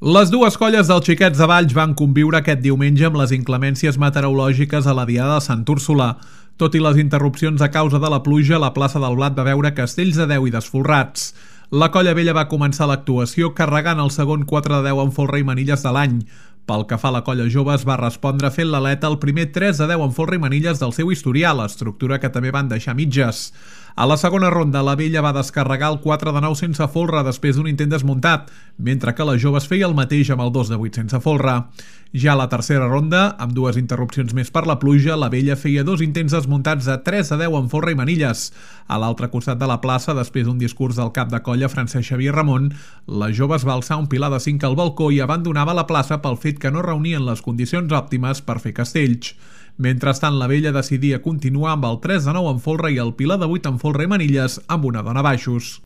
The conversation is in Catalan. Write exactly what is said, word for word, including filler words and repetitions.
Les dues colles dels Xiquets de Valls van conviure aquest diumenge amb les inclemències meteorològiques a la diada de Sant Úrsula. Tot i les interrupcions a causa de la pluja, la plaça del Blat va veure castells de deu i desfolrats. La colla vella va començar l'actuació carregant el segon quatre de deu amb folre i manilles de l'any. Pel que fa a la colla jove, es va respondre fent l'aleta el primer tres de deu amb folre i manilles del seu historial, estructura que també van deixar mitges. A la segona ronda, la vella va descarregar el quatre de nou sense folre després d'un intent desmuntat, mentre que la jove es feia el mateix amb el dos de vuit sense folre. Ja a la tercera ronda, amb dues interrupcions més per la pluja, la vella feia dos intents desmuntats de tres de deu amb folre i manilles. A l'altre costat de la plaça, després d'un discurs del cap de colla Francesc Xavier Ramon, la jove es va alçar un pilar de cinc al balcó i abandonava la plaça pel fet que no reunien les condicions òptimes per fer castells. Mentrestant, la vella decidia continuar amb el tres de nou amb folre i el pilar de vuit amb folre i manilles amb una dona baixos.